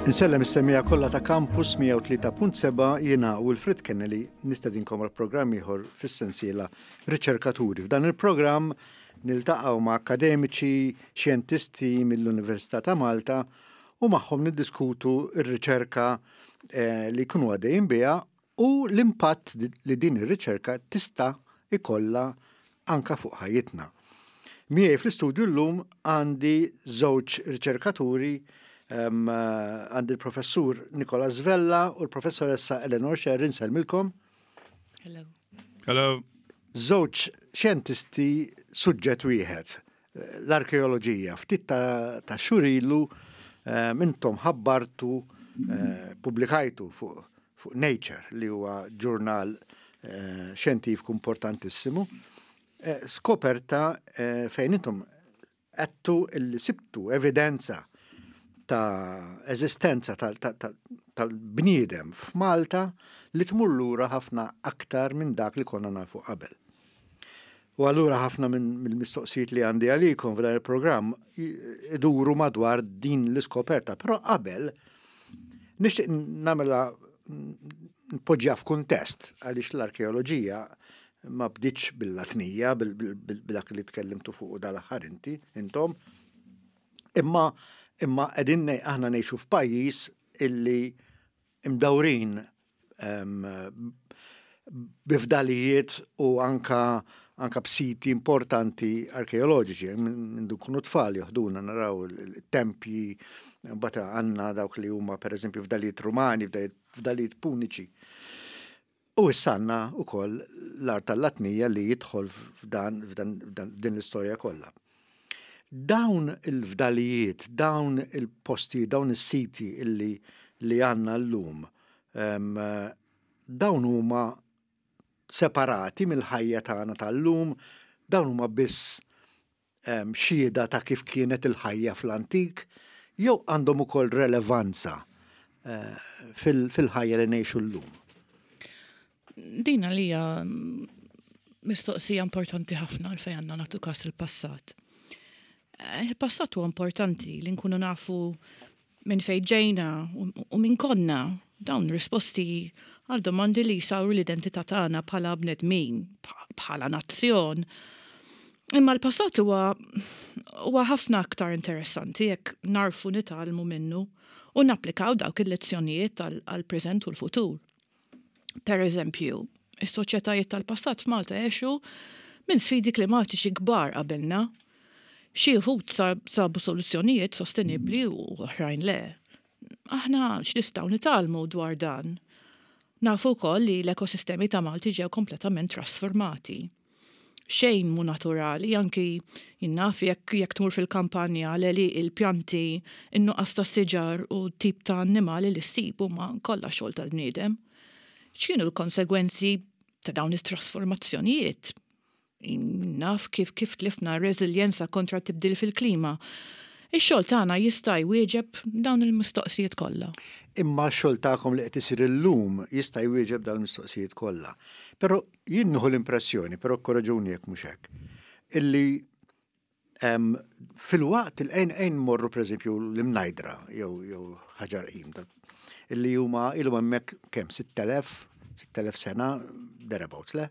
Insellem is-semmiegħa kollha ta' Campus 103.7 jiena Wilfred Kennedy nistedinkom għal programm ieħor fis-sensiela Riċerkaturi. F'dan il-programm niltaqgħu ma' akademiċi, xjentisti mill-Università ta' Malta u magħhom niddiskutu r-riċerka eh, li jkunu għaddejjin biha u l-impatt li din ir-riċerka tista' jkollha anka fuq ħajjitna. Miegħi fl-istudju llum għandi żewġ riċerkaturi għandi l-professur Nicolas Vella u l-professoressa Eleanor Sherry nsellmilkom. Hello. Hello. Żewġ xjentisti suġġett wieħed, l-arkeoloġija. Ftit ta', ta xhur ilu intom ħabbartu eh, pubblikajtu fuq fuq Nature li huwa ġurnal eh, xjentifiku importantissimu, eh, skoperta eh, fejn intom għedtu illi sibtu evidenza ta' eżistenza tal-bniedem f'Malta li tmur lura ħafna aktar minn dak li konna nafu qabel. U allura ħafna mill-mistoqsijiet li għandi għalikom f'dan il-programm iduru madwar din l-iskoperta, però qabel nixtieq nagħmilha npoġġiha f'kuntest għaliex l-arkeoloġija ma bdietx bil-Latnija, bil-dak li tkellimtu fuq dal-aħħar inti, intom. Imma imma qegħdin aħna ngħixu f'pajjiż illi imdawrin bi fdalijiet u anka anka b'siti importanti arkeoloġiċi. Minn kunu tfal joħduna naraw il-tempji, mbagħad għandna dawk li huma pereżempju fdalijiet Rumani, fdalijiet Puniċi. U issa għandna wkoll l-art tal-Latnija li jidħol f'dan din l-istorja kollha. Dawn il-fdalijiet, dawn il-postijiet, dawn is-siti illi li għandna llum, dawn huma separati mill-ħajja tagħna tal-lum, dawn huma biss xhieda ta' kif kienet il-ħajja fl-antik jew għandhom ukoll relevanza eh, fil-ħajja li ngħixu llum? Din għalija mistoqsija importanti ħafna għalfejn għandna nagħtu każ il-passat. Eh, il-passat huwa importanti li nkunu nafu minn fejn ġejna u min konna, dawn risposti għal domandi li jsawru l-identità tagħna bħala bnedmin, bħala nazzjon. Imma l-passat huwa huwa ħafna aktar interessanti jekk narfu nitgħallmu minnu u napplikaw dawk il-lezzjonijiet għall-preżent u l-futur. Per eżempju, is-soċjetajiet tal-passat f'Malta għexu minn sfidi klimatiċi kbar qabilna. Xi wħud sabu soluzzjonijiet sostenibbli u oħrajn le. Aħna x'nistgħu nitgħallmu dwar dan? Nafu wkoll li l-ekosistemi ta' Malti ġew kompletament trasformati. Xejn mhu naturali, anki jien naf jekk jekk tmur fil-kampanja l-għelieqi, il-pjanti, in-nuqqas ta' siġar u t-tip ta' annimali li ssib huma kollha xogħol tal-bniedem. X'kienu l-konsegwenzi ta' dawn it-trasformazzjonijiet? Jien naf kif kif tlifna r-reżiljenza kontra t-tibdil fil-klima. Ix-xogħol tagħna jista' jwieġeb dawn il-mistoqsijiet kollha. Imma x-xogħol tagħkom li qed isir illum jista' jwieġeb dawn il-mistoqsijiet kollha. Però Jien nieħu l-impressjoni, però kkoreġuni jekk mhux hekk, illi filwaqt il ejn ejn morru pereżempju l-imnajdra jew jew ħaġar qim illi huma ilhom hemmhekk kemm 6000 6000 sena thereabouts le.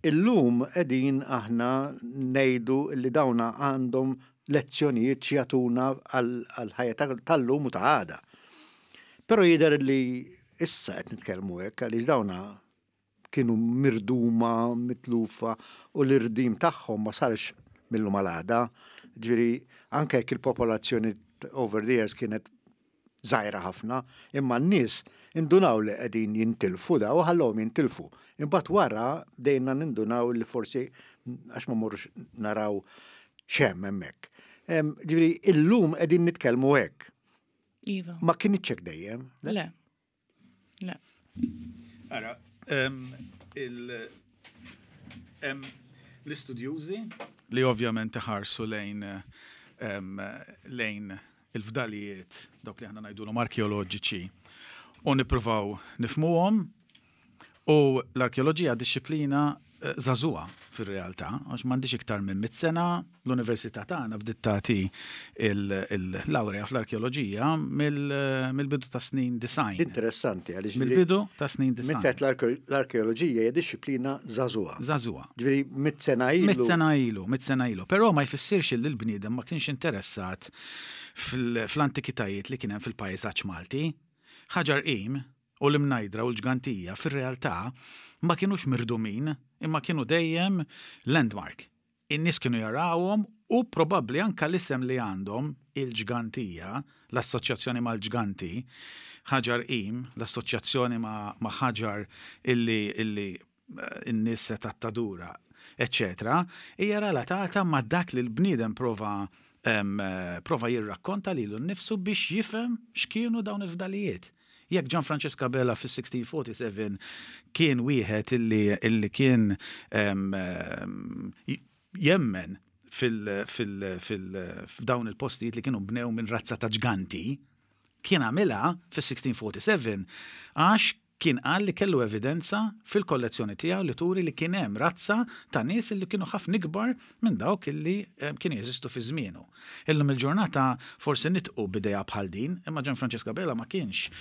Illum qegħdin aħna ngħidu li dawna għandhom lezzjonijiet x'jagħtuna għall-ħajja tal-lum u ta' għada. Però jidher li issa qed nitkellmu hekk għaliex dawna kienu mirduma, mitlufa u l-irdim tagħhom ma sarx mill-lum għal għada. Ġifieri anke jekk il-popolazzjoni over the years kienet żgħira ħafna, imma n-nies indunaw li qegħdin jintilfu daw u ħallewhom jintilfu. Imbagħad wara bdejna nindunaw li forsi għax ma morrux naraw x'hemm hemmhekk. Ġifieri illum qegħdin nitkellmu hekk. Iva. Ma kinitx hekk dejjem. Le. Le. Ara, l-istudjużi li ovvjament iħarsu lejn lejn il-fdalijiet dawk li aħna ngħidulhom arkeoloġiċi u nippruvaw nifhmuhom u l-arkeoloġija dixxiplina żagħżugħa fir-realtà, għax m'għandix iktar minn mit sena, l-università tagħna bdiet tagħti il-lawrea fl-arkeoloġija mill-bidu ta' snin 90. Interessanti għaliex mill-bidu ta' snin 90. Minn l-arkeoloġija hija dixxiplina żagħżugħa. Żagħżugħa. Ġifieri mit sena ilu. Mit sena ilu, mit sena ilu. Però ma jfissirx li l-bniedem ma kienx interessat fl-antikitajiet li kien hemm fil-pajsaġġ Malti. Ħaġar Qim u l-Imnajdra u l-Ġgantija fir-realtà ma kinux mirdumin imma kienu dejjem landmark. In-nies kienu jarawhom u probabbli anke l-isem li għandhom, il-Ġgantija, l-assoċjazzjoni mal-ġganti, Ħaġar Qim, l-assoċjazzjoni ma' ħaġar illi illi n-nies setgħet tadura, eċċetera, hija relatata ma' dak li l-bniedem prova prova jirrakkonta lilu nnifsu biex jifhem x'kienu dawn il-fdalijiet. Jekk Gian Francesco Abela fis-1647 kien wieħed illi illi kien jemmen f'dawn il-postijiet li kienu bnew minn razza ta' ġganti, kien għamilha fis-1647 għax kien qal li kellu evidenza fil-kollezzjoni tiegħu li turi li kien hemm razza ta' nies li kienu ħafna ikbar minn dawk li kienu jeżistu fi żmienu. Illum il-ġurnata forsi nidħqu b'idea bħal din, imma Gian Francesco Abela ma kienx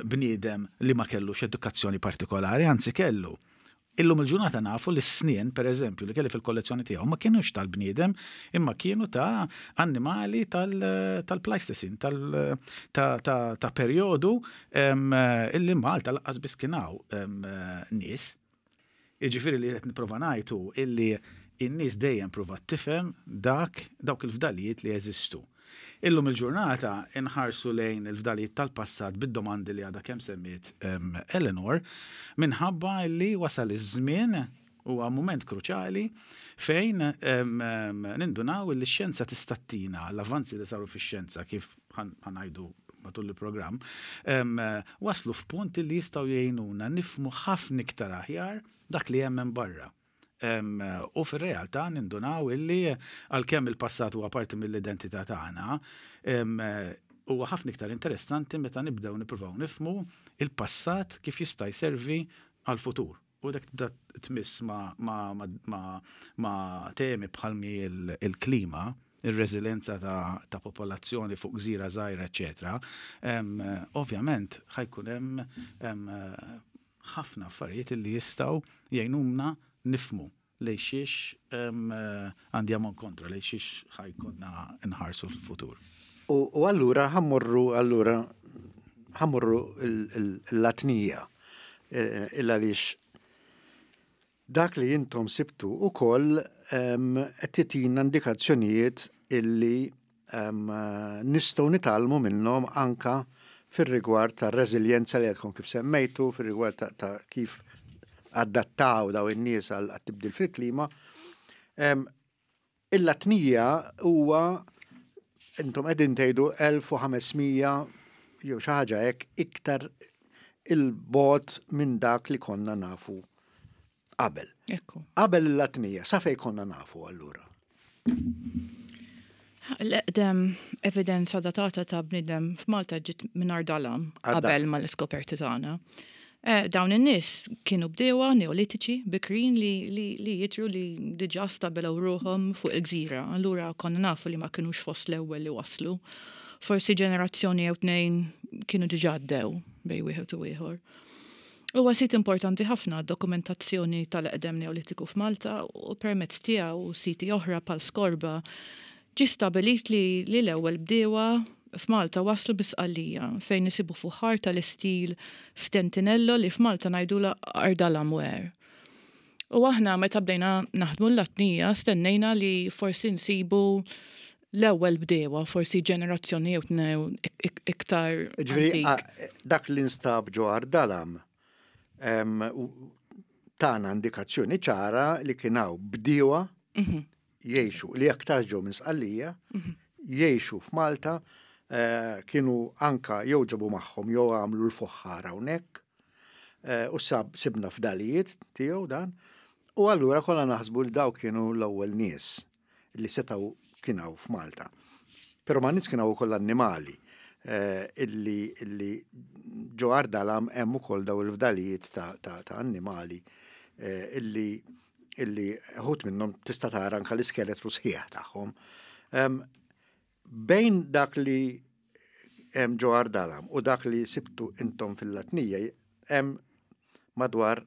bniedem li ma kellux edukazzjoni partikolari, anzi kellu. Illum il-ġurnata nafu li s-snien, per eżempju, li kelli fil-kollezzjoni tiegħu ma kinux tal-bniedem imma kienu ta' annimali tal-Pleistocene, ta' perjodu illi Malta lanqas biss kien hawn nies. Jiġifieri li qed nipprova ngħid hu illi n-nies dejjem pruvat tifhem dak dawk il-fdalijiet li jeżistu. Illum il-ġurnata inħarsu lejn il-fdalijiet tal-passat bid-domandi li għadha kemm semmiet Eleanor minħabba li wasal iż-żmien, huwa mument kruċjali fejn nindunaw li x-xjenza tista' ttina l-avvanzi li saru fix-xjenza kif ħa ngħidu matul il-programm, waslu f'punt li jistgħu jgħinuna nifhmu ħafna iktar aħjar dak li hemm hemm barra. U fir-realtà nindunaw illi għalkemm il-passat huwa parti mill-identità tagħna, huwa ħafna iktar interessanti meta nibdew nippruvaw nifhmu il-passat kif jista' jservi għall-futur. U dak tibda tmiss ma' temi bħal mi il-klima, ir-reżiljenza ta' popolazzjoni fuq gżira żgħira, eċċetera, ovvjament ħa jkun hemm ħafna affarijiet li jistgħu jgħinuna nifhmu lejn xiex għandi ammont kontra, lejn xiex ħa jkollna nħarsu fil-futur. U allura ħa mmorru allura ħa mmorru l-Latnija illa għaliex dak li intom sibtu ukoll qed titina indikazzjonijiet illi nistgħu nitgħallmu minnhom anka fir-rigward tar-reżiljenza li għadkom kif semmejtu, fir-rigward ta' kif adattaw daw in-nies għal tibdil fil-klima. Il-Latnija huwa intom qegħdin tgħidu 1500 jew xi ħaġa hekk iktar il-bogħod minn dak li konna nafu qabel. Ekku. Qabel il-Latnija, sa fejn konna nafu allura? L-eqdem evidenza datata ta' bniedem f'Malta ġiet minn Għar Dalam qabel mal-iskoperti tagħna. Dawn in-nies kienu bdiewa Neolitiċi bikrin li li jidhru li diġà stabilew ruħhom fuq il-gżira, allura konna nafu li ma kinux fost l-ewwel li waslu. Forsi ġenerazzjoni jew tnejn kienu diġà għaddew bejn wieħed u ieħor. Huwa sit importanti ħafna għad-dokumentazzjoni tal-eqdem Neolitiku f'Malta u permezz tiegħu u siti oħra bħal Skorba ġie stabbilit li li l-ewwel bdiewa f'Malta waslu bi Sqallija fejn isibu fuħħar tal-istil Stentinello li f'Malta ngħidulha Ardalamware. U aħna meta bdejna naħdmu l-Latnija stennejna li forsi nsibu l-ewwel bdiewa, forsi ġenerazzjoni jew tnew iktar. Ġifieri dak li nstab ġo Ardalam tana indikazzjoni ċara li kien hawn bdiewa mhm. jgħixu li aktar ġew minn Sqallija, mhm. jgħixu f'Malta, eh, kienu anka jew ġabu magħhom jew għamlu l-fuħħar hawnhekk. Eh, u sab sibna fdalijiet tiegħu dan. U allura kollha naħsbu li dawk kienu l-ewwel nies li setgħu kien hawn f'Malta. Però ma' nies kien hawn ukoll annimali eh, illi, illi ġo Ardalam hemm ukoll daw il-fdalijiet ta', ta, ta annimali eh, illi illi ħut minnhom tista' tara anke l-iskeletru sħiħ tagħhom. Bejn dak li hemm ġo Ardalam u dak li sibtu intom fil-Latnija hemm madwar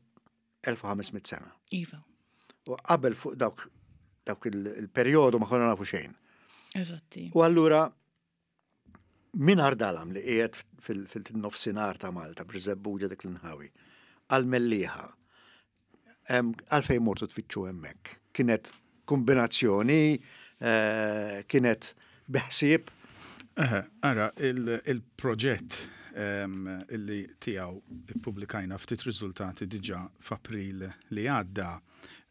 1500 sena. Iva. U qabel fuq dawk dawk il-perjodu ma konna nafu xejn. Eżatti. U allura minn Ardalam li qiegħed fil-nofsinhar ta' Malta, Birżebbuġa dik l-inħawi, għal-Mellieħa, għalfejn mortu tfittxu hemmhekk? Kienet kombinazzjoni, eh, kienet beħsieb? Ara, il-proġett illi tiegħu ippubblikajna ftit riżultati diġà f'April li għadda,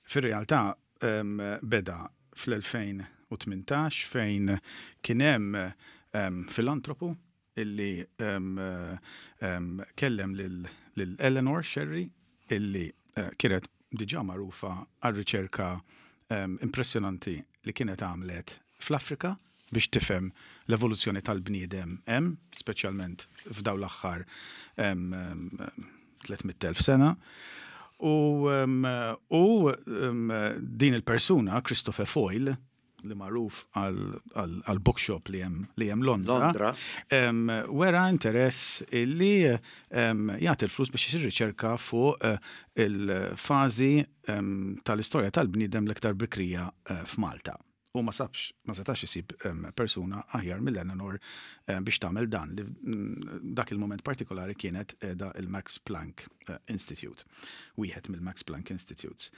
fir-realtà beda fl-2018 fejn kien hemm filantropu illi kellem lil Eleanor Scerri illi eh, kienet diġà magħrufa għar-riċerka impressjonanti li kienet għamlet fl-Afrika biex tifhem l-evoluzzjoni tal-bniedem hemm, speċjalment f'dawn l-aħħar 300,000 sena. U, u din il-persuna, Christopher Foyle, li magħruf għal bookshop li hemm li hemm Londra, wera interess illi jagħti l-flus biex isir riċerka fuq eh, il-fażi tal-istorja tal-bniedem l-iktar bikrija eh, f'Malta. U ma sabx, ma setax isib persuna aħjar mill-Eleanor biex tagħmel dan li mm, dak il-moment partikolari kienet da il-Max Planck eh, Institute, wieħed mill-Max Planck Institutes.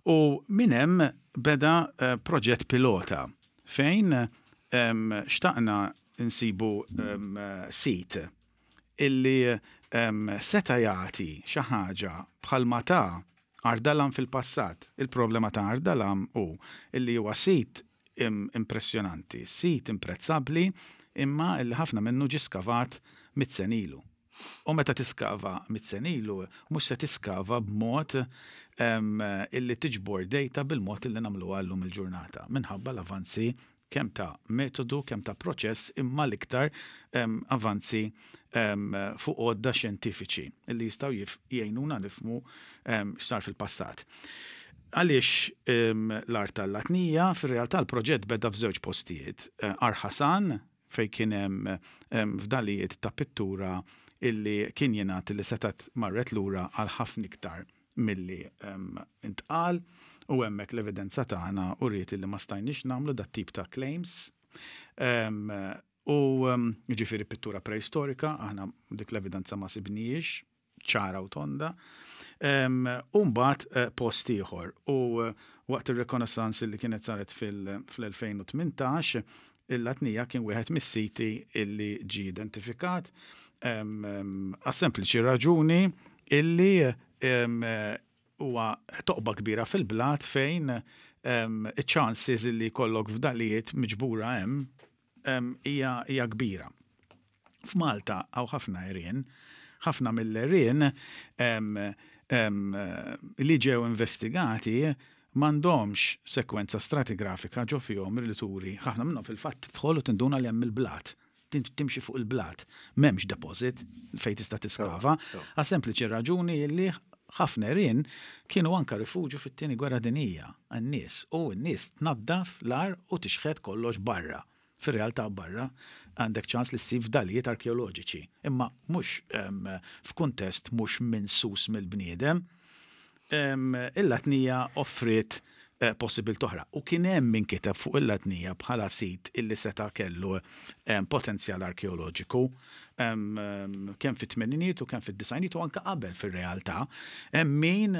U minn hemm beda eh, proġett pilota fejn xtaqna nsibu sit illi seta' jagħti xi ħaġa bħalma ta Ardalam fil-passat. Il-problema ta' Ardalam hu illi huwa sit impressjonanti, sit imprezzabbli imma illi ħafna minnu ġie skavat mit sena ilu. U meta tiskava mit sena ilu, mhux se tiskava b'mod illi tiġbor data bil-mod illi nagħmluha llum il-ġurnata, minħabba l-avanzi kemm ta' metodu, kemm ta' proċess, imma l-iktar avanzi fuq għodda xjentifiċi li jistgħu jgħinuna nifhmu x'sar fil-passat. Għaliex l-art tal-Latnija, fir-realtà l-proġett beda f'żewġ postijiet. Għar Ħasan, fejn kien hemm fdalijiet ta' pittura illi kien jingħad li setgħet marret lura għal ħafna iktar milli ntqal u hemmhekk l-evidenza tagħna uriet illi ma stajniex nagħmlu dat-tip ta' claims. U jiġifieri pittura preistorika, aħna dik l-evidenza ma sibnijiex ċara u tonda. U mbagħad eh, post ieħor. U eh, waqt ir-rekonaissance li kienet saret fil-2018, il-Latnija kien wieħed mis-siti illi ġie identifikat għas-sempliċi raġuni illi huwa toqba kbira fil-blat fejn iċ-chances illi jkollok fdalijiet miġbura hemm hija kbira. F'Malta hawn ħafna għerien, ħafna mill-għerien li ġew investigati m'għandhomx sekwenza stratigrafika ġo fihom li turi, ħafna minnhom fil-fatt tidħol u tinduna li hemm il-blat, timxi fuq il-blat, m'hemmx deposit fejn tista' tiskava, għas sempliċi raġuni li ħafna għerien kienu anka rifuġju fit-Tieni Gwerra Dinjija għan-nies u n-nies tnaddaf l-għar u tixħet kollox barra. Fir-realtà barra għandek ċans li ssib fdalijiet arkeoloġiċi, imma mhux f'kuntest mhux minsus mill-bniedem. Il-Latnija offriet eh, possibilità oħra. U kien hemm min kiteb fuq il-Latnija bħala sit illi seta' kellu potenzjal arkeoloġiku kemm fit-tmeniniet u kemm fid-disgħiniet u anke qabel fir-realtà. Hemm min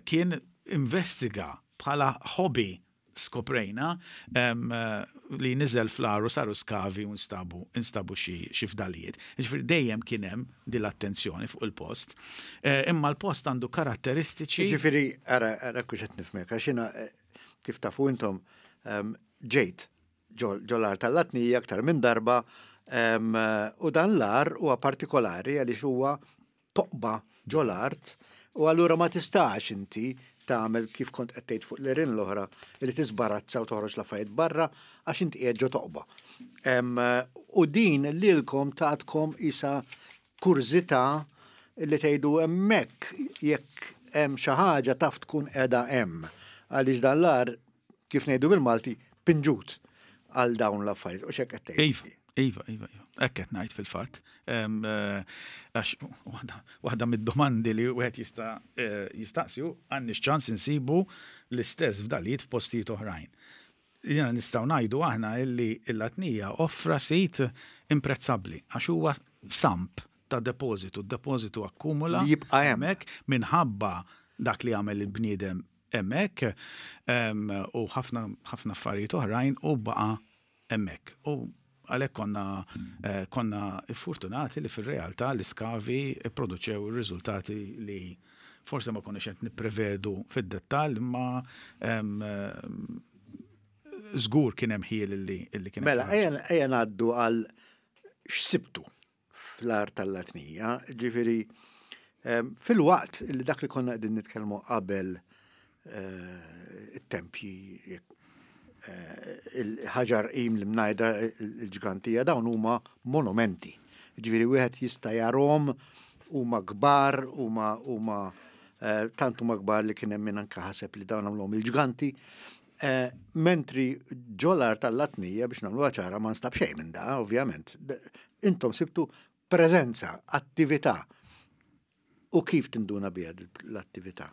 kien investiga bħala hobby skoprejna li niżel fl-għar u saru skavi u nstabu instabu xi fdalijiet. Jiġifieri dejjem kien hemm din l-attenzjoni fuq il-post. Eh, imma l-post għandu karatteristiċi. Jiġifieri ara ara kux qed nifhmek għax jiena eh, kif tafu intom ġejt ġol għar tal-Latnija aktar minn darba u dan l-għar huwa partikolari għaliex huwa toqba ġol-art u allura ma tistax inti tagħmel kif kont qed tgħid fuq l-għerien l-oħra li tiżbarazza u toħroġ l-affarijiet barra għax inti qiegħed ġo toqba. U din lilkom tatkom isa kurżità li tgħidu hemmhekk jekk hemm xi ħaġa taf tkun qiegħda hemm. Għaliex dan l-għar, kif ngħidu bil-Malti, pinġut għal dawn l-affarijiet. U x'hekk qed tgħid. Iva, iva, iva, iva. Hekk qed ngħid fil-fatt. Għax waħda mid-domandi li wieħed jista' eh, jistaqsi hu għandniex ċans insibu l-istess fdalijiet f'postijiet oħrajn. Jiena nistgħu ngħidu aħna illi l-Latnija offra sit imprezzabbli għax huwa samp ta' depożitu, d-depożitu akkumula Li jibqa' hemm. hemmhekk minħabba dak li għamel il-bniedem hemmhekk u ħafna ħafna affarijiet oħrajn u baqa' hemmhekk. U għalhekk konna eh, konna fortunati li fir-realtà l-iskavi pproduċew ir-riżultati li forse ma konniex qed nipprevedu fid-dettall imma żgur kien hemm ħiel illi kien Mela, ejja ngħaddu għal x'sibtu fl-art tal-Latnija, ġifieri filwaqt li dak li konna qegħdin nitkellmu qabel eh, it-tempji eh, il-ħaġar qim li mnajda il-ġgantija dawn huma monumenti. Ġifieri wieħed jista' jarhom huma kbar, huma huma eh, tant huma kbar li kien hemm min anke ħaseb li dawn għamluhom il-ġganti. Mentri ġolar tal-Latnija biex nagħmluha ċara ma nstab xejn minn da, ovvjament. Intom sibtu preżenza, attività. U kif tinduna biha l-attività?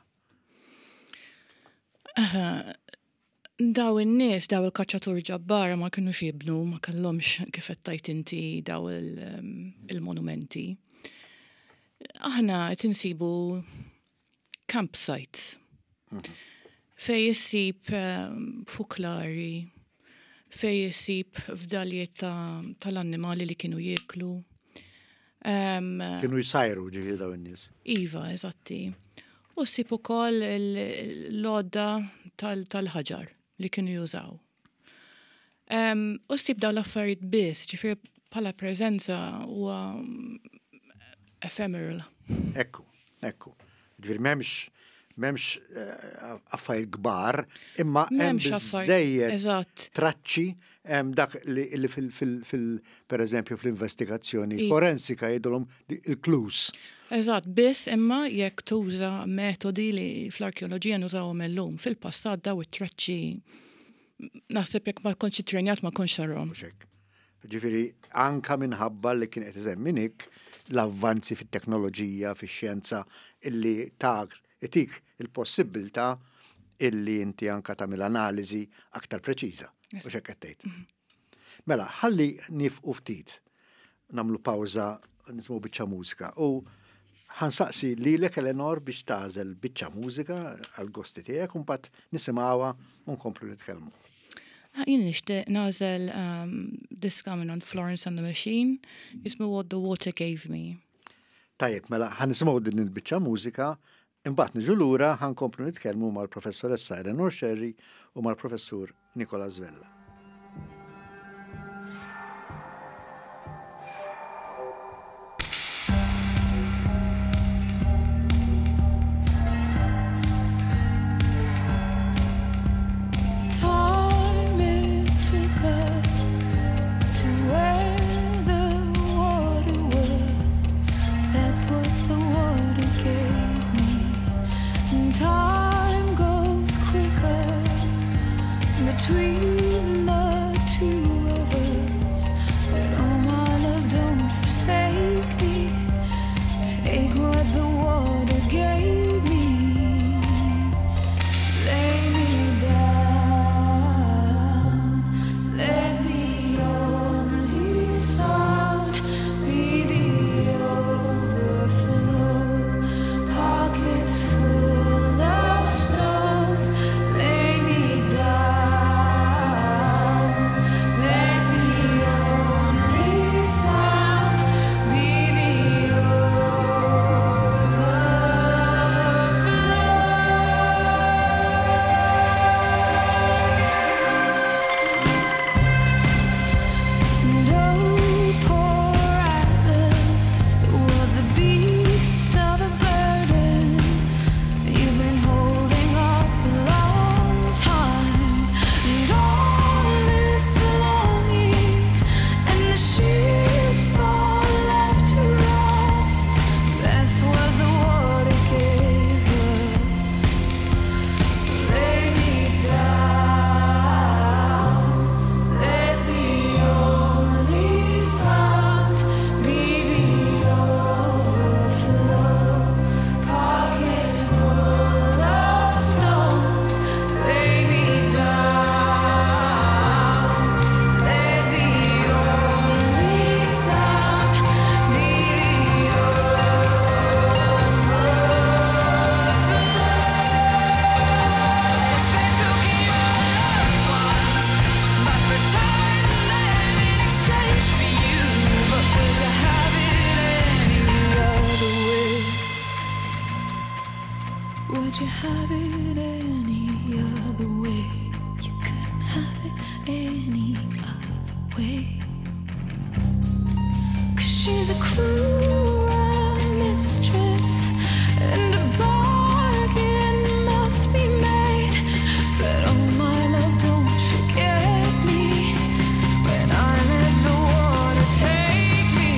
Daw in-nies, daw il-kaċċatur ġabbara ma kinux jibnu, ma kellhomx kif qed tgħid inti daw il-monumenti. Aħna qed insibu campsites fej issib fuklari, fej issib fdalijiet tal-annimali li kienu jieklu. Kienu jsajru ġifieri daw in-nies. Iva, eżatti. U ssib ukoll l-għodda tal-ħaġar li kienu jużaw. U ssib dawn l-affarijiet biss, ġifieri bħala preżenza huwa ephemeral. Ekku, ekku. Ġifieri m'hemmx m'hemmx eh, affarijiet kbar, imma hemm biżejjed traċċi hemm dak li fil per eżempju fl-investigazzjoni forensika jgħidulhom il-clues. Eżatt, biss imma jekk tuża metodi li fl-arkeoloġija nużawhom illum, fil-passat daw it-traċċi Naħseb jekk ma kontx ittrenjat ma kontx tarhom. Mhux hekk. Ġifieri anka minħabba li kien qed isemmi Nick l-avvanzi fit-teknoloġija, fix-xjenza illi tak itik il-possibbiltà illi inti anka tagħmel analiżi aktar preċiża. Mhux hekk qed tgħid. Mhm. Mela, ħalli nifqu ftit, nagħmlu pawża nisimgħu biċċa mużika u ħansaqsi lilek Eleanor biex tagħżel biċċa mużika għall-gosti tiegħek u mbagħad nisimgħuha u nkomplu nitkellmu. Ah, jien nixtieq nagħżel ehm, diska minn Florence and the Machine jismu What the Water Gave Me. Tajjeb, mela ħa nisimgħu din il-biċċa mużika, imbagħad niġu lura ħa nkomplu nitkellmu mal-professoressa Eleanor Scerri u mal-professur Nicolas Vella. Time it took us to where the water was. That's what the water gave me. And time goes quicker between Would you have it any other way? You couldn't have it any other way. Cause she's a cruel mistress, and a bargain must be made. But oh my love, don't forget me when I let the water take me.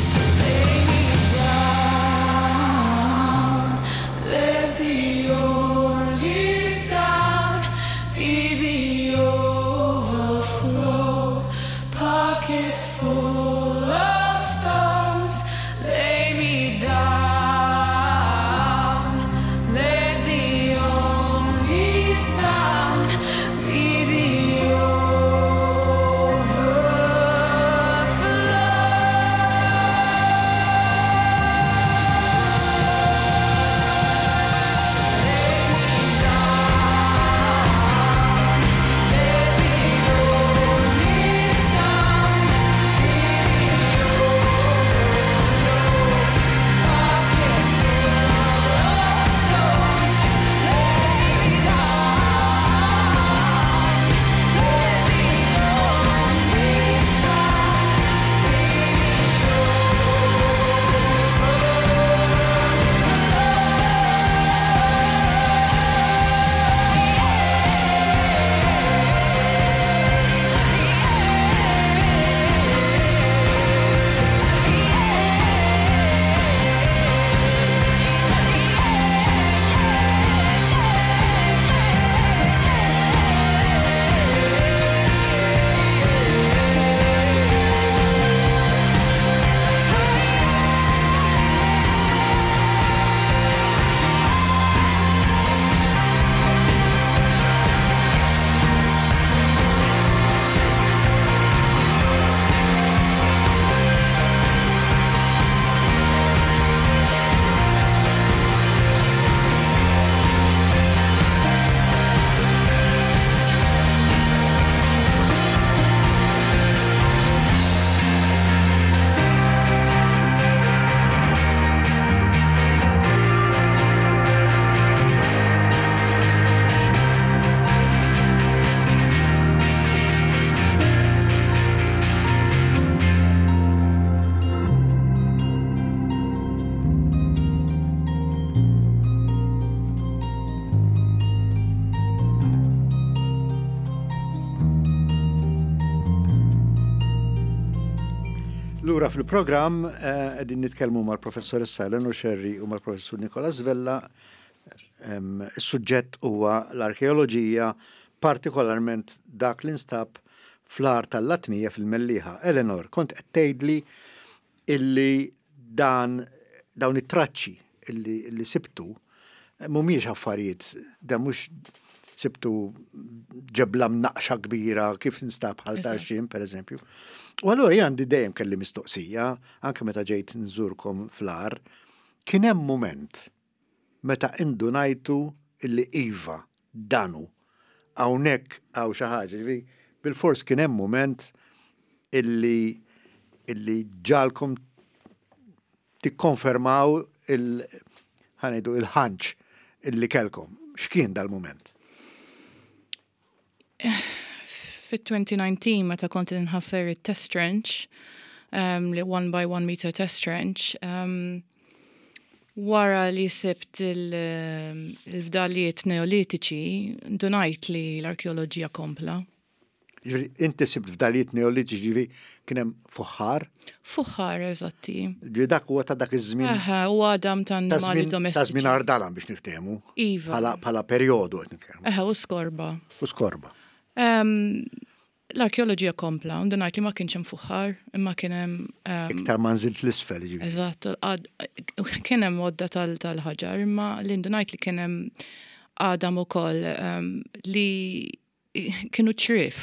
So lay me down, let the only sound be the overflow. Pockets full of stones, lay me down. Let the only sound be the Lura fil-programm eh, qegħdin nitkellmu mal-professoressa Eleanor Scerri u mal-professur Nicolas Vella. Is-suġġett huwa l-arkeoloġija, partikolarment dak li nstab fl-għar tal-Latnija fil-Mellieħa. Eleanor, kont qed tgħidli illi dan dawn it-traċċi illi, illi sibtu mhumiex affarijiet, da mhux sibtu ġebla mnaqxa kbira kif instab bħal tarxien pereżempju. U allura jien għandi dejjem kelli mistoqsija, anke meta ġejt nżurkom fl-għar, kien hemm mument meta indunajtu illi iva, dan hu, hawnhekk hawn xi ħaġa, jiġifieri bilfors kien hemm mument illi illi ġagħalkom tikkonfermaw il ħa ngħidu il-ħanċ illi kellkom. X'kien dal-mument? Fit-2019 meta kont inħaffer it-test trench, um, li 1 by 1 meter test trench, um, wara li sibt il-fdalijiet neolitiċi, ndunajt li l-arkeoloġija kompla. Ġifieri inti sibt fdalijiet neolitiċi ġifieri kien hemm fuħħar? Fuħħar, eżatti. Ġifieri dak huwa ta' dak iż-żmien. Eħe, u għadam ta' annimali domestiċi. Ta' żmien Ardalan biex niftehmu. Iva. Bħala perjodu qed nitkellmu. Eħe, u skorba. U skorba. L-arkeoloġija kompla, u ndunajt li ma kienx hemm fuħħar, imma kien hemm. Iktar ma nżilt l-isfel, ġifieri. Eżatt, kien hemm għodda tal-ħaġar, imma li ndunajt li kien hemm għadam ukoll li kienu ċriev.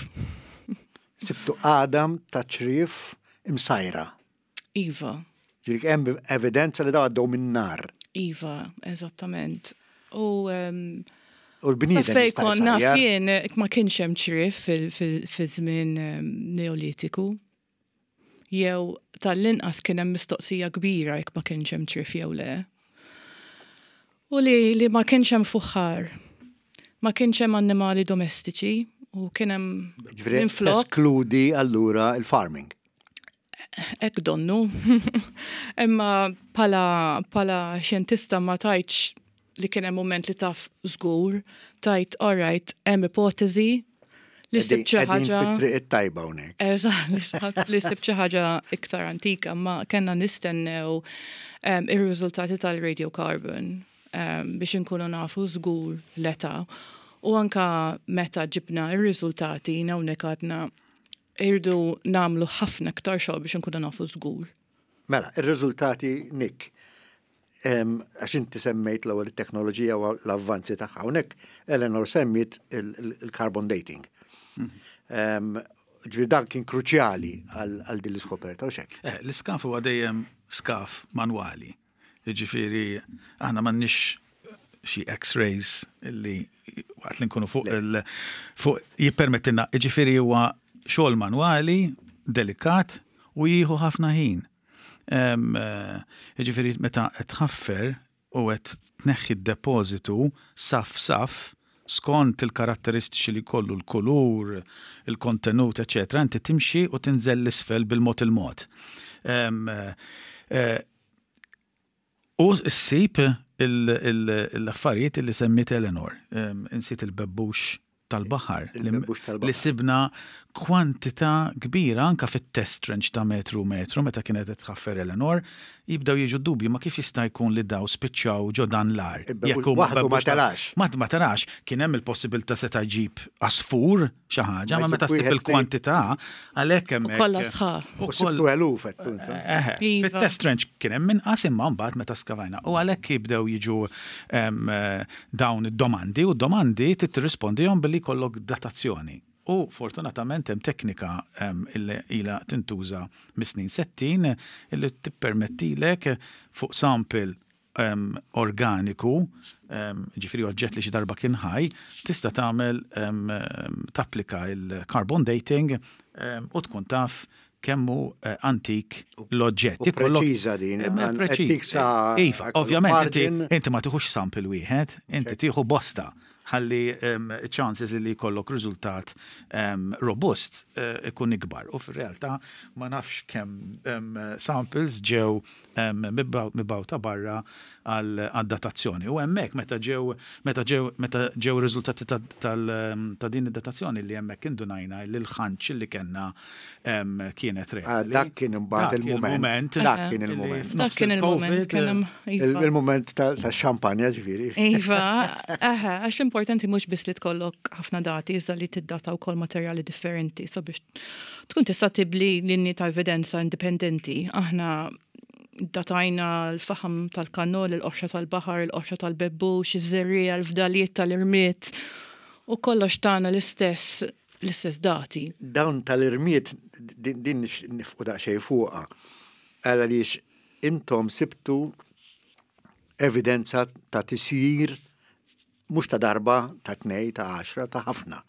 Sibtu għadam ta' ċriev imsajra. Iva. Ġifieri hemm evidenza li daw għaddew minn nar. Iva, eżattament. U U l-bniedem. Fej konna jien ma kienx hemm ċriev fi żmien Neolitiku. Jew tal-inqas kien hemm mistoqsija kbira jekk ma kienx hemm ċriev jew le. U li li ma kienx hemm fuħħar. Ma kienx hemm annimali domestiċi u kien hemm Ġifieri eskludi allura il-farming. Hekk donnu. Imma bħala bħala xjentista ma tgħidx li kien hemm mument li taf żgur, tgħid all right, hemm ipoteżi li sibt xi ħaġa. Fit-triq it-tajba hawnhekk. Eżatt, li sibt xi ħaġa iktar antika, ma kellna nistennew ir-riżultati tal-radiocarbon biex inkunu nafu żgur l-età. U anka meta ġibna ir-riżultati hawnhekk għadna irdu nagħmlu ħafna iktar xogħol biex inkunu nafu żgur. Mela, ir-riżultati Nick, għax inti semmejt l-ewwel it-teknoloġija u l-avvanzi tagħha. Hawnhekk Eleanor semmiet il-carbon dating. Ġifieri dan kien kruċjali għal din l-iskoperta u xek. Eh, l-iskaf huwa dejjem skaf manwali. Ġifieri aħna m'għandniex xi X-rays li waqt li nkunu fuq il fuq jippermettilna, ġifieri huwa xogħol manwali, delikat u jieħu ħafna ħin. Jiġifieri meta qed tħaffer u qed tneħħi d-depożitu saff saff skont il-karatteristiċi li jkollu l-kulur, il-kontenut, eċċetera, inti timxi u tinżel 'l isfel bil-mod il-mod. U ssib l-affarijiet li semmiet Eleanor. Insiet il-bebbux tal-baħar. Li sibna kwantità kbira anke fit-test trench ta' metru u metru meta kienet qed tħaffer Eleanor, jibdew jiġu d-dubji ma kif jista' jkun li daw spiċċaw ġo dan l-għar. Jekk huma waħdu ma telax. Ma telax. Kien hemm il-possibilità seta' jġib għasfur xi ħaġa, ma meta ssib il-kwantità għalhekk hemmhekk. U kollha sħaħ. U sibtu eluf qed intom. Fit-test trench kien hemm inqas imma mbagħad meta skavajna. U għalhekk jibdew jiġu dawn id-domandi u d-domandi trid tirrispondihom billi jkollok datazzjoni. U fortunatament hemm teknika illi ilha tintuża mis-snin 60 illi tippermettilek fuq sample organiku, ġifieri oġġett li xi darba kien ħaj, tista' tagħmel tapplika l-carbon dating u tkun taf kemm hu antik l-oġġett. U preċiża din. Preċiża. Iva, ovvjament inti ma tieħux sample wieħed, inti tieħu bosta ħalli chances li jkollok riżultat robust ikun ikbar. U fir-realtà ma nafx kemm samples ġew mibgħuta barra għad-datazzjoni. U hemmhekk meta ġew meta ġew meta ġew ir-riżultati ta' din id-datazzjoni li hemmhekk indunajna li l-ħanċ li kellna kienet reali. Dak kien imbagħad il-mument. Dak kien il-mument. Dak kien il-mument. Kien hemm iva. Il-mument tax-xampanja ġifieri. Iva, eħe, għax l-importanti mhux biss li tkollok ħafna dati, iżda li tiddata wkoll materjali differenti sabiex tkun tista' tibli linji ta' evidenza indipendenti. Aħna datajna l-faħam tal-kannol, il-qoxra tal-baħar, il-qoxra tal-bebbux, iż-żerriegħa, l-fdalijiet tal-irmied u kollox tana l-istess l-istess dati. Dawn tal-irmied din nifqu daqsxejn fuqha. Għaliex intom sibtu evidenza ta' tisjir mhux ta' darba, ta' tnej, ta' għaxra, ta' ħafna.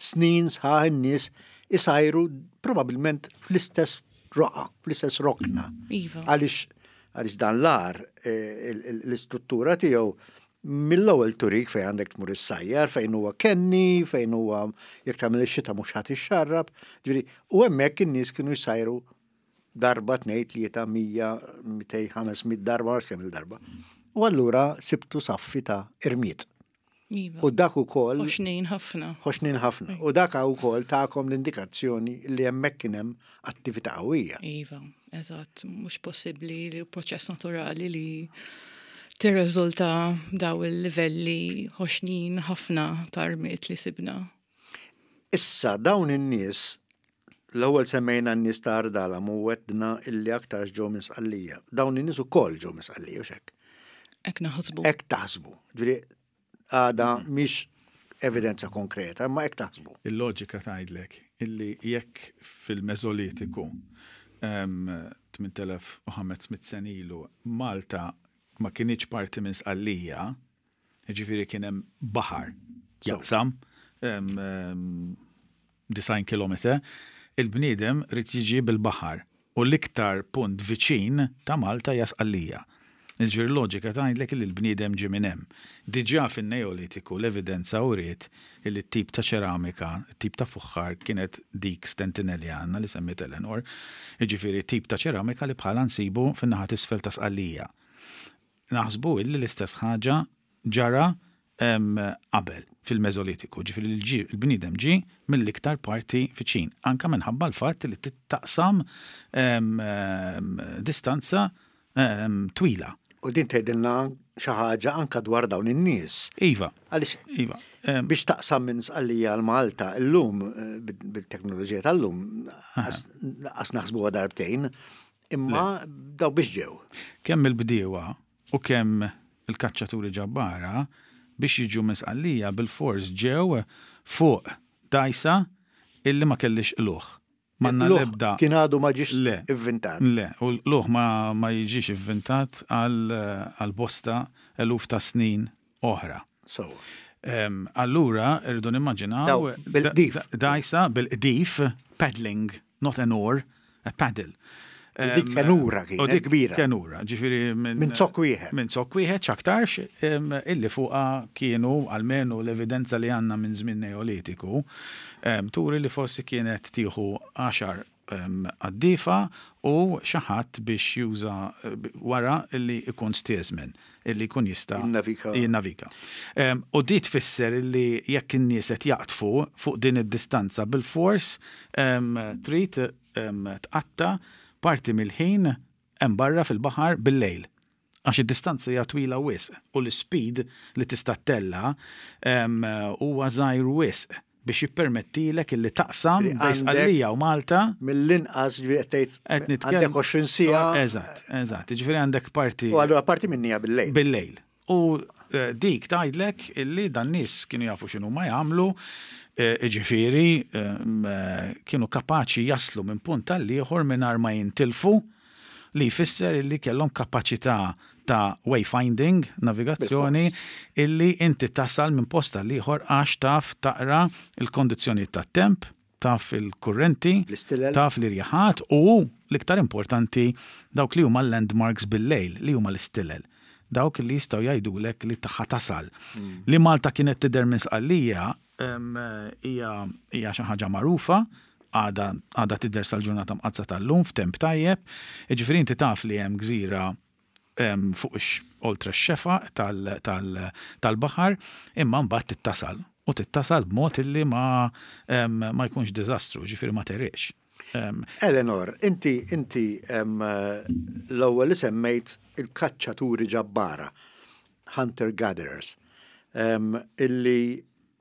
Snin sħaħ in-nies isajru probabbilment fl-istess roqa, fl-istess rokna. Iva. Għaliex għaliex dan l-ar eh, l-istruttura tiegħu mill-ewwel turik fejn għandek tmur issajjar, fejn huwa kenni, fejn huwa jekk tagħmel ix-xita mhux ħadd ixxarrab. Ġifieri, u hemmhekk in-nies kienu jsajru darba, tnejn, tlieta, 100, 200, 500 darba, ma nafx kemm il-darba. U allura sibtu saffi ta' irmied. Iva. U dak ukoll. Ħoxnin ħafna. Ħoxnin ħafna. U dak ukoll tagħkom l-indikazzjoni li hemmhekk kien hemm attività qawwija. Iva, eżatt, mhux possibbli li proċess naturali li tirriżulta daw il-livelli ħoxnin ħafna ta' rmied li sibna. Issa dawn in-nies, l-ewwel semmejna n-nies ta' Ardalam u għedna illi aktarx ġew minn Sqallija. Dawn in-nies ukoll ġew minn Sqallija, hux hekk? Hekk naħsbu. Hekk taħsbu. Ġifieri għadha mhix evidenza konkreta, imma hekk taħsbu. Il-loġika tgħidlek illi jekk fil-Meżolitiku 8500 sena ilu Malta ma kinitx parti minn Sqallija, Jiġifieri kien hemm baħar jaqsam 90 kilometer. Il-bniedem ried jiġi bil-baħar u l-iktar punt viċin ta' Malta hija Sqallija. Jiġifieri l-loġika tgħidlek illi l-bniedem ġie minn hemm. Diġà fin-Neolitiku l-evidenza uriet illi t-tip ta' ċeramika, it-tip ta' fuħħar kienet dik Stentinelliana li semmiet Eleanor, jiġifieri tip ta' ċeramika li bħalha nsibu fin-naħa t'isfel ta' Sqallija. Naħsbu illi l-istess ħaġa ġara qabel, fil-Meżolitiku, ġifieri li ġie l-bniedem ġie mill-iktar parti viċin, anke minħabba l-fatt li trid taqsam distanza twila. U din tgħidilna xi ħaġa anke dwar dawn in-nies. Iva. Għaliex iva. Biex taqsam minn Sqallija għal Malta llum bit-teknoloġija tal-lum qas naħsbuha darbtejn, imma daw biex ġew. Kemm il-bdiewa u kemm il-kaċċaturi ġabbara biex jiġu minn Sqallija bilfors ġew fuq dgħajsa illi ma kellhiex qlugħ. M'għandna l-ebda. Kien għadu ma ġiex ivvintat. Le, u l-qlugħ ma jiġix ivvintat għal bosta eluf ta' snin oħra. Sewwa. Allura rridu nimmaġinaw. Bil-qdif. Dgħajsa bil-qdif, paddling, not an oar, a paddle. U dik kenura kienet kbira. Kenura, ġifieri minn zokk wieħed. Minn zokk wieħed x'aktarx illi fuqha kienu almenu l-evidenza li għandna minn żmien Neolitiku turi li forsi kienet tieħu għaxar qaddiefa u xi ħadd biex juża wara illi jkun steersman, illi jkun jista' jinnavika. U di tfisser illi jekk in-nies qed jaqdfu fuq din id-distanza bilfors trid tqatta' parti mill-ħin hemm barra fil-baħar bil-lejl. Għax id-distanza hija twila wisq u l-ispeed li tista' ttella' huwa żgħir wisq biex jippermettilek illi taqsam bejn Sqallija u Malta. Mill-inqas, ġifieri qed tgħid għandek 20 siegħa. Eżatt, eżatt. Jiġifieri għandek parti. U allura parti minnha bil-lejl. Bil-lejl. U dik tgħidlek illi dan-nies kienu jafu x'inhuma jagħmlu, jiġifieri kienu kapaċi jaslu minn punt għall-ieħor mingħajr ma jintilfu, li jfisser illi kellhom kapaċità ta' wayfinding, navigazzjoni, illi inti tasal minn post għall-ieħor għax taf taqra l-kondizzjonijiet tat-temp, taf il-kurrenti, taf l-irjaħat u, l-iktar importanti, dawk li huma l-landmarks bil-lejl, li huma l-istilel. Dawk li jistgħu jgħidulek li ħa tasal. Li Malta kienet tidher minn Sqallija hija xi ħaġa magħrufa, għadha għadha tidher sal-ġurnata mqaddsa tal-lum f'temp tajjeb. Jiġifieri inti taf li hemm gżira fuq oltre x-xefaq tal-baħar, imma mbagħad tittasal u tittasal b'mod illi ma ma jkunx diżastru, ġifieri ma tegħriqx. Eleanor, inti inti l-ewwel li semmejt il-kaċċaturi ġabbara, hunter gatherers, illi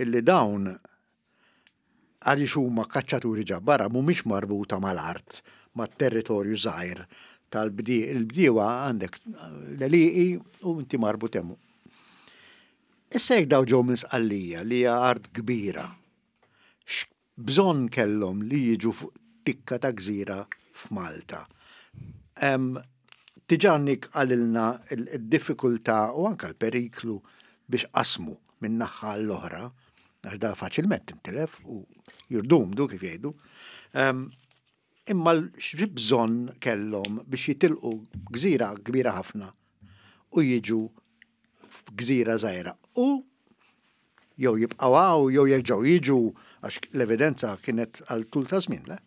illi dawn għaliex huma kaċċaturi ġabbara mhumiex marbuta mal-art, mat-territorju żgħir tal-bdiewa għandek l-għelieqi u inti marbut hemm. Issa jekk daw ġew minn Sqallija li hija art kbira, x'bżonn kellhom li jiġu fuq tikka ta' gżira f'Malta? Diġà Nick qalilna d-diffikultà u anke l-periklu biex qasmu minn naħa għall-oħra, għax da faċilment tintilef u jirdumdu kif jgħidu. Imma x'bżonn kellhom biex jitilqu gżira kbira ħafna u jiġu f'gżira żgħira u jew jibqgħu hawn jew jerġgħu jiġu għax l-evidenza kienet għal tul ta' żmien, le?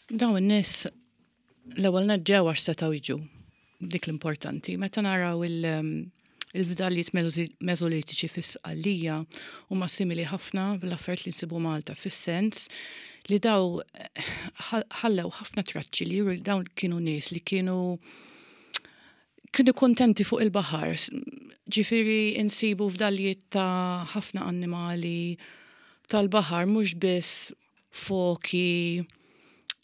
Dawn in-nies L-ewwel nett ġew għax setgħu jiġu. Dik l-importanti. Meta naraw il-fdalijiet Mesolitiċi fis-Sqallija huma simili ħafna bl-affarijiet li nsibu Malta fis-sens li daw ħallew ħafna traċċi li juru dawn kienu nies li kienu kienu kuntenti fuq il-baħar. Ġifieri insibu fdalijiet ta' ħafna annimali tal-baħar mhux biss foki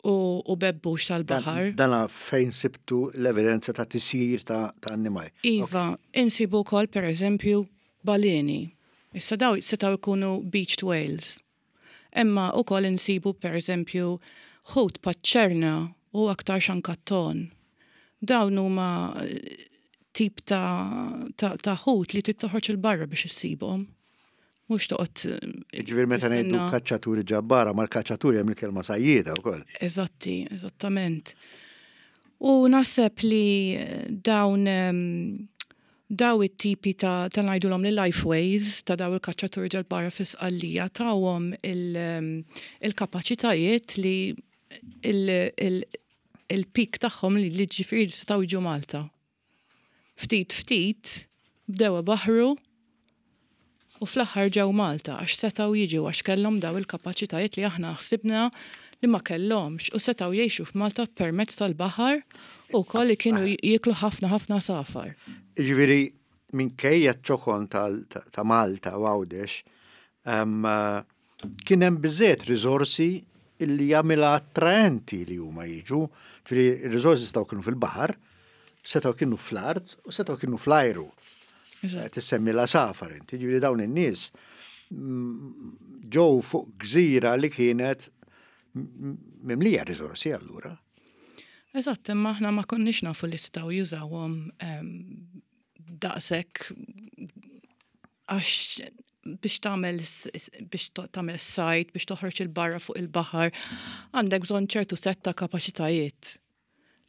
u bebbux tal-baħar. Dana fejn sibtu l-evidenza ta' tisjir ta' annimali. Iva, insibu wkoll pereżempju baleni. Issa daw setgħu jkunu beached whales. Imma wkoll insibu pereżempju ħut paċ-ċerna u aktar xankatton. Dawn huma tip ta' ħut li trid toħroġ 'il barra biex issibhom. Mhux toqgħod. Jiġifieri meta ngħidu kaċċaturi ġabbara, mal-kaċċaturi hemm il-kelma sajjieda wkoll. Eżatti, eżattament. U naħseb li dawn daw it-tipi ta' ta' ngħidulhom li lifeways ta' daw il-kaċċaturi ġabbara fi Sqallija tawhom il-kapaċitajiet li il-peak tagħhom li ġifieri setgħu jiġu Malta. Ftit ftit bdew ibaħħru u fl-aħħar ġew Malta għax setgħu jiġu għax kellhom daw il-kapaċitajiet li aħna ħsibna li ma kellhomx u setgħu jgħixu f'Malta permezz tal-baħar u wkoll li kienu jieklu ħafna ħafna għasafar. Jiġifieri minkejja ċ-ċokon ta' Malta u Għawdex, kien hemm biżżejjed riżorsi illi jagħmilha attraenti li huma jiġu. Ġifieri r-riżorsi setgħu kienu fil-baħar, setgħu kienu fl-art u setgħu kienu fl-ajru. Tissemmi l-għasafar inti, ġifieri dawn in-nies mm, ġew fuq gżira li kienet mimlija riżorsi allura. Eżatt, imma aħna ma konniex nafu li setgħu jużawhom ehm, daqshekk għax biex tagħmel biex tagħmel sajt, biex toħroġ il-barra fuq il-baħar, għandek bżonn ċertu set ta' kapaċitajiet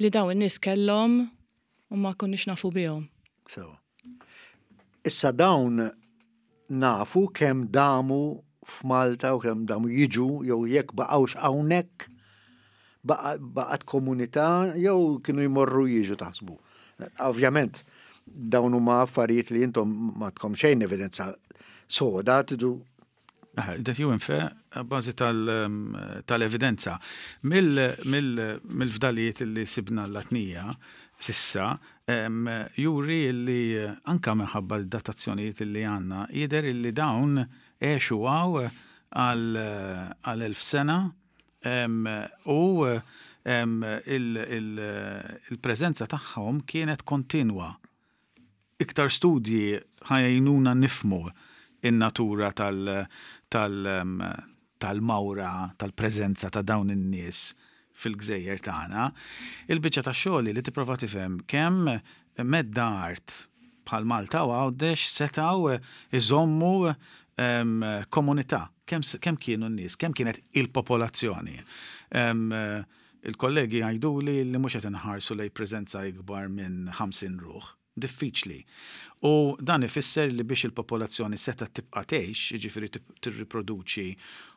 li dawn in-nies kellhom u ma konniex nafu bihom. So. Issa dawn nafu kemm damu f'Malta u kemm damu jiġu jew jekk baqgħux hawnhekk baqgħet komunità jew kienu jmorru jiġu taħsbu. Ovvjament, dawn huma affarijiet li intom ma tkom xejn evidenza soda tidu That you infer bażi tal-evidenza. Mill-fdalijiet li sibna l-Latnija sissa juri li anka minħabba l-datazzjonijiet li għandna jidher li dawn għexu hawn għal 1000 sena U il-preżenza tagħhom kienet kontinwa. Iktar studji ħa jgħinuna nifhmu n-natura tal-mawra, tal-preżenza ta' dawn in-nies fil-gżejjer tagħna. Il-biċċa tax-xogħol hi li tipprova tifhem kemm medda art bħal Malta u Għawdex setgħu jżommu komunità, kemm kienu n-nies, kemm kienet il-popolazzjoni. Il-kollegi jgħiduli li mhux qed inħarsu lejn preżenza ikbar minn 50 ruħ. Diffiċli. U dan ifisser li biex il-popolazzjoni setgħet tibqa' tgħix, jiġifieri tirriproduċi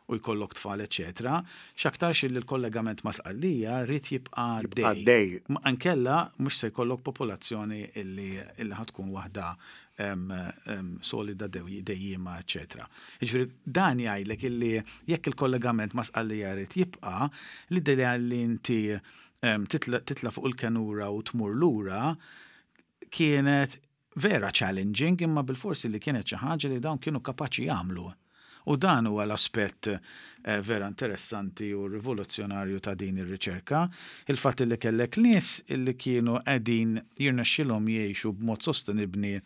u jkollok tfal eċċetera, x'aktarx illi l-kollegament ma' Sqallija ried jibqa' għaddej. Inkella mhux se jkollok popolazzjoni illi ħa tkun waħda solida dejjiema eċċetera. Jiġifieri dan jgħidlek illi jekk il-kollegament ma' Sqallija jrid jibqa', l-idea li inti titla' fuq il-kenura u tmur lura kienet vera challenging imma bilforsi li kienet xi ħaġa li dawn kienu kapaċi jagħmlu. U dan huwa l-aspett vera interessanti u rivoluzzjonarju ta' din ir-riċerka, il-fatt li kellek nies li kienu qegħdin jirnexxilhom jgħixu b'mod sostenibbni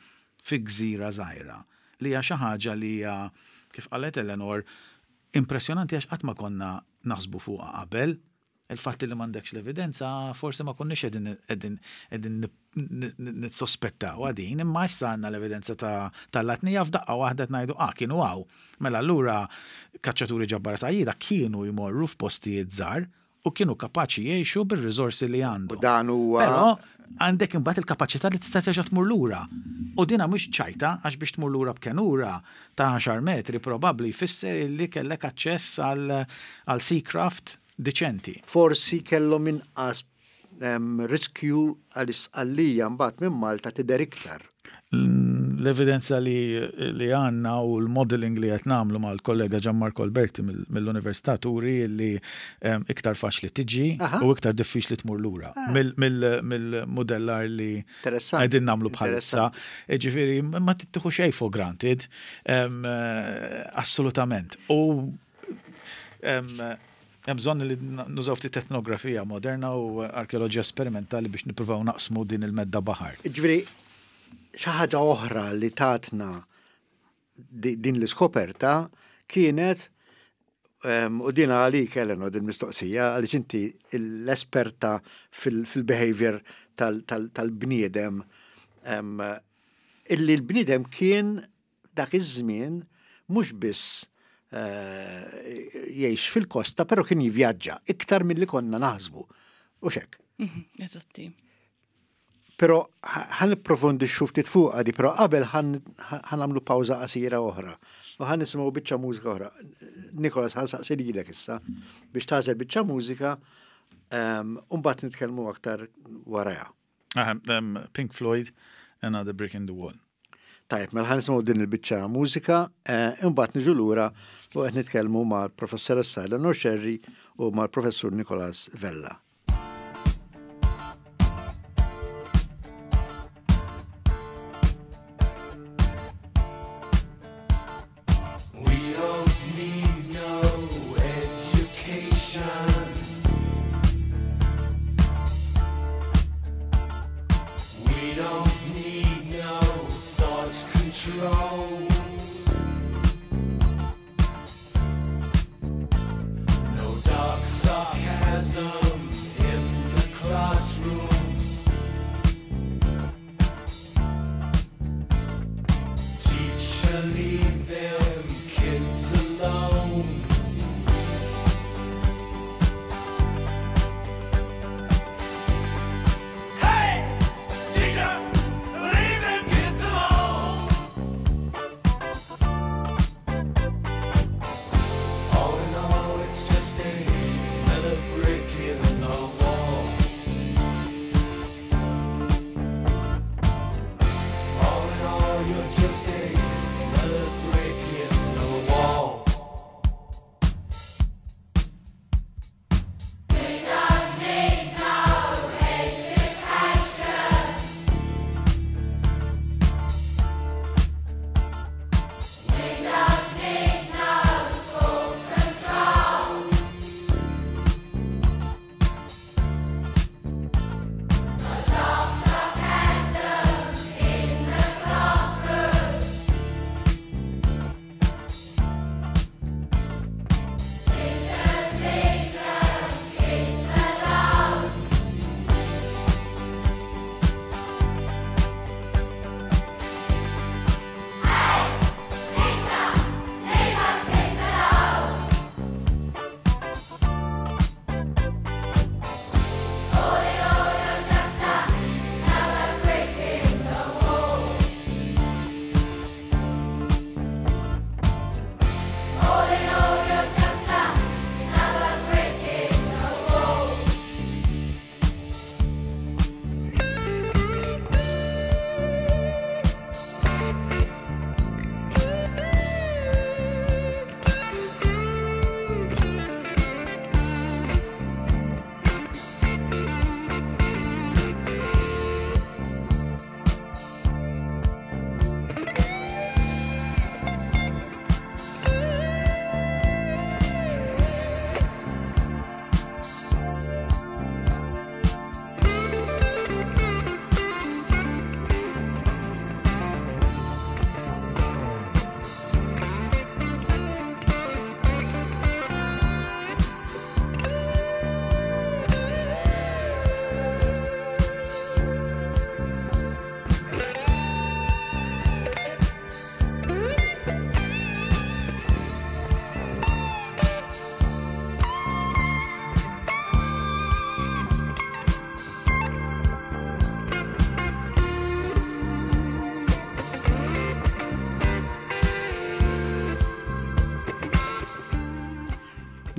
fi gżira żgħira, li hija xi ħaġa li hija, kif qalet Eleanor, impressjonanti għax qatt ma konna naħsbu fuqha qabel. Il-fatt li m'għandekx l-evidenza forsi ma konniex qegħdin qegħdin nissospettawha din, imma issa għandna l-evidenza tal-Latnija f'daqqa waħda qed ngħidu ah kienu hawn. Mela allura kaċċaturi ġabbara sajjieda kienu jmorru f'postijiet żgħar u kienu kapaċi jgħixu bir-riżorsi li għandhom. U dan huwa Però għandek imbagħad il-kapaċità li tista' terġa' tmur lura. U dina mhux ċajta għax biex tmur lura b'kenura ta' għaxar metri probabbli jfisser illi kellek aċċess għal seacraft diċenti. Forsi kellhom inqas riskju għaliex Sqallija mbagħad minn Malta tidher iktar. L-evidenza li li għandna u l-modelling li qed nagħmlu mal-kollega Gianmarco Alberti mill-Università turi li iktar faċli tiġi u iktar diffiċli tmur lura mill-mudellar li qegħdin nagħmlu bħalissa. Ġifieri ma tittieħu xejn for granted, assolutament. U hemm bżonn li nużaw ftit etnografija moderna u arkeoloġija sperimentali biex nippruvaw naqsmu din il-medda baħar. Ġifieri xi ħaġa oħra li tatna din l-iskoperta kienet u din għalik Eleanor din mistoqsija għaliex inti l-esperta fil-behavior tal-bniedem illi l-bniedem kien dak iż-żmien mhux biss eh, jgħix fil-kosta, però kien jivvjaġġa iktar milli konna naħsbu. U xek. Mhm, eżatti. Però ħa nipprofondixxu ftit fuqha di, però qabel ħa nagħmlu pawża qasira oħra u ħa nisimgħu biċċa mużika oħra. Nikolas ħa nsaqsi lilek issa biex tagħżel biċċa mużika ehm, u mbagħad nitkellmu aktar warajha. Pink Floyd, Another Brick in the Wall. Tajjeb, mela ħa nisimgħu din il-biċċa mużika, eh, imbagħad niġu lura u qed nitkellmu mal-professoressa Eleanor Scerri u mal-professur Nikolas Vella.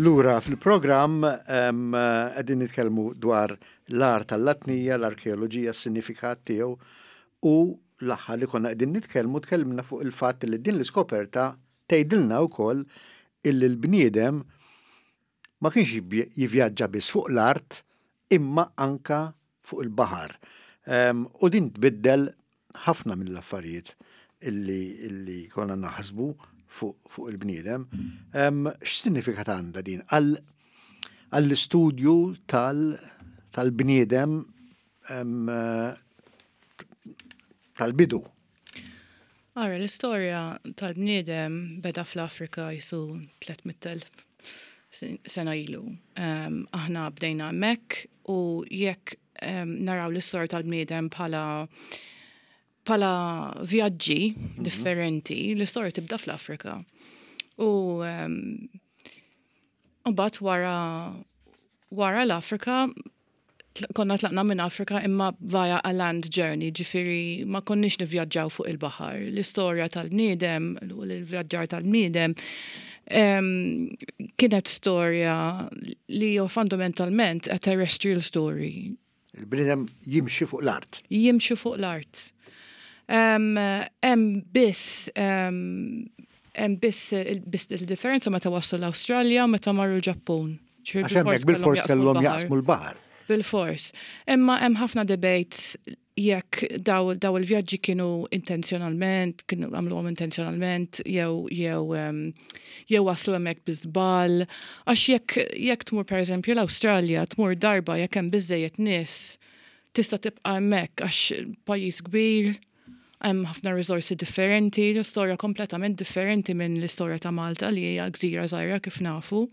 Lura fil-programm qegħdin nitkellmu dwar l-art tal-Latnija, l-arkeoloġija, s-sinifikat tiegħu u l-aħħar li konna qegħdin nitkellmu tkellimna fuq il-fatt li din l-iskoperta tgħidilna wkoll illi l-bniedem ma kienx jivvjaġġa biss fuq l-art imma anka fuq il-baħar. U din tbiddel ħafna mill-affarijiet illi, illi konna naħsbu fuq, fuq il-bniedem. X'sinifikat għandha din għall-istudju tal-bniedem tal-bidu? Ara, l-istorja tal-bniedem beda fl-Afrika jisu 300.000 sena ilu. Aħna bdejna hemmhekk u jekk naraw l-istorja tal-bniedem bħala Pala vjaġġi differenti, l-istorja tibda fl-Afrika. U mbagħad wara l-Afrika konna tlaqna minn Afrika imma via a land journey, ġifieri ma konniex nivvjaġġaw fuq il-baħar. L-istorja tal-bniedem, l-vjaġġar tal-bniedem, kienet storja li jo fundamentalment a terrestrial story. Il-bniedem jimxi fuq l-art. Jimxi fuq l-art. Hemm biss il-differenza meta waslu l-Awstralja u meta marru l-Ġappun. Għax hemmhekk bil-fors kellhom jaqsmu l-baħar. Bil-fors. Imma hemm ħafna debates jekk daw il-vjaġġi kienu intenzjonalment, kienu għamluhom intenzjonalment, jew waslu hemmhekk bi żball. Għax jekk tmur, pereżempju, l-Awstralja, tmur darba, jekk hemm biżejjed nies, tista' tibqa' hemmhekk għax pajjiż kbir, hemm ħafna riżorsi differenti, l-istorja kompletament differenti minn l-istorja ta' Malta li hija gżira żgħira kif nafu.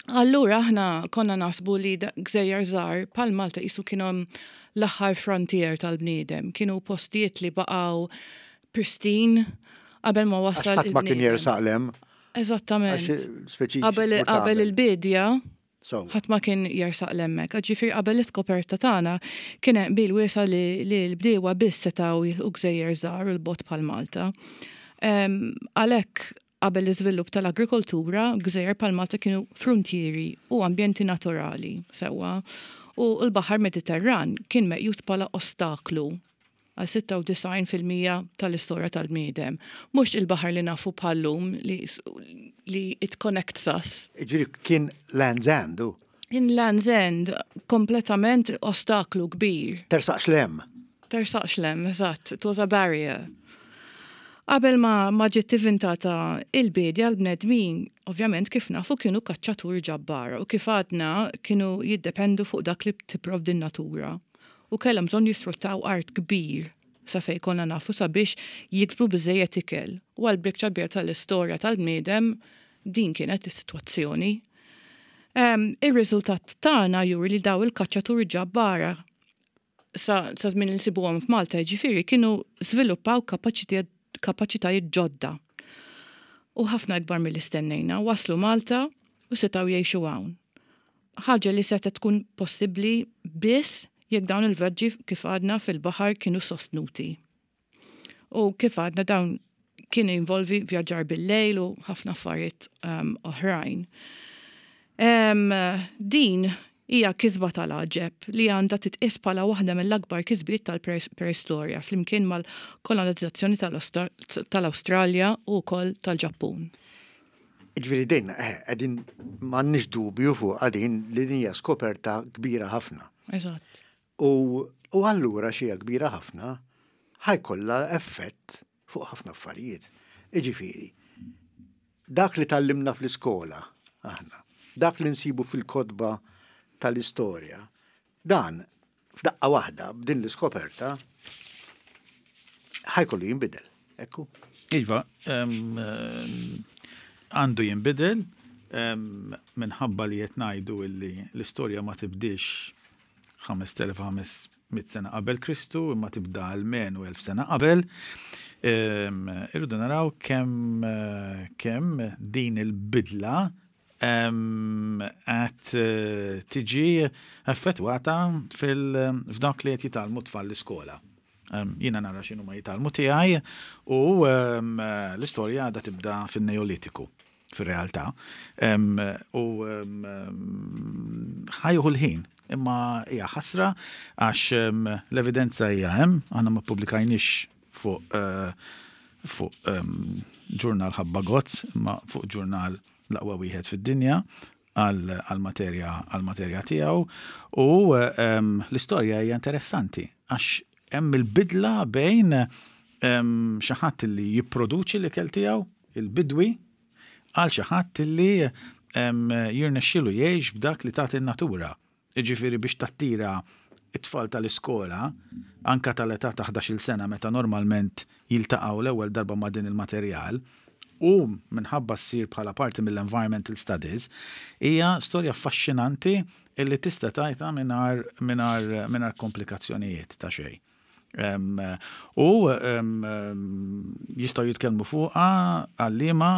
Allura aħna konna naħsbu li gżejjer żgħar bħal Malta qisu kienu l-aħħar frontier tal-bniedem, kienu postijiet li baqgħu pristine qabel ma Għax wasal ħadd ma kien il-bniedem. jersaq 'l hemm. Eżattament. Għax speċi Qabel il-bidja, So, ħadd ma kien jersaq 'l hemmhekk. Ġifieri qabel l-iskoperta tagħna kien hemm qbil wiesa' li l-bdiewa biss setgħu jilħqu gżejjer żgħar u 'l bogħod bħal Malta. Għalhekk qabel l-iżvilupp tal-agrikoltura, gżejjer bħal Malta kienu frontieri u ambjenti naturali sewwa. U l-Baħar Mediterran kien meqjus bħala ostaklu għal 96% tal-istorja tal-bniedem. Mhux il-baħar li nafu bħal-lum li it connects us. Ġifieri kien Land's End, u In Land's End, kompletament ostaklu kbir. Tersaqx 'l hemm. Tersaqx 'l hemm, eżatt, it was a barrier. Qabel ma ġiet inventata il-bidja, l-bnedmin, ovvjament, kif nafu, kienu kaċċaturi ġabbara u, kif għadna, kienu jiddependu fuq dak li tipprovdi n-natura. U kellhom bżonn jisfruttaw art kbir sa fej konna nafu sabiex jiksbu biżejjed ikel. U għal biċċa kbira tal-istorja tal-bniedem din kienet is-sitwazzjoni. Ir-riżultat tagħna juri li daw il-kaċċaturi ġabbara sa żmien li nsibuhom f'Malta, ġifieri, kienu żviluppaw kapaċitajiet ġodda. U ħafna ikbar milli stennejna, waslu Malta u setgħu jgħixu hawn. Ħaġa li setgħet tkun possibbli biss jekk dawn il-vjaġġi, kif għadna, fil-baħar kienu sostnuti. U kif għadna, dawn kien involvi vjaġġar bil-lejl u ħafna affarijiet oħrajn. Din hija kisba tal-għaġeb li għandha titqis bħala waħda mill-akbar kisbiet tal-preistorja flimkien mal-kolonizzazzjoni tal-Awstralja u wkoll tal-Ġappun. Ġifieri din, qegħdin m'għandniex dubju fuq għadin li din hija skoperta kbira ħafna. Eżatt. U allura xi kbira ħafna ħa jkollha effett fuq ħafna affarijiet. Iġifieri, dak li tgħallimna fl-iskola aħna, dak li nsibu fil-kotba tal-istorja, dan f'daqqa waħda b'din l-iskoperta ħa jkollu jinbidel. Ekku. Iva, għandu jinbidel minħabba li qed ngħidu illi l-istorja ma tibdix 5500 sena qabel Kristu, imma tibda almenu 1000 sena qabel. Irridu naraw kemm din il-bidla qed tiġi effettwata f'dak li qed jitgħallmu tfal l-iskola. Jiena nara x'inhu ma jitgħallmu tiegħi u l-istorja għadha tibda fin-Neolitiku fir-realtà. U ħa jieħu l-ħin, imma hija ħasra għax l-evidenza hija hemm, aħna ma ppubblikajniex fuq ġurnal ħabba gozz, imma fuq ġurnal l-aqwa wieħed fid-dinja għal-materja tiegħu u l-istorja hija interessanti għax hemm il-bidla bejn xi ħadd li jipproduċi l-ikel tiegħu, il-bidwi, għal xi ħadd li jirnexxielu jgħix b'dak li tagħti n-natura. Jiġifieri biex tattira it-tfal tal-iskola, anka tal-età ta' 11 sena, meta normalment jiltaqgħu l-ewwel darba ma' din il-materjal, u minħabba ssir bħala parti mill-environmental studies, hija storja affaxxinanti illi tista' tgħidha mingħajr komplikazzjonijiet ta' xejn. U jistgħu jitkellmu fuqha għalliema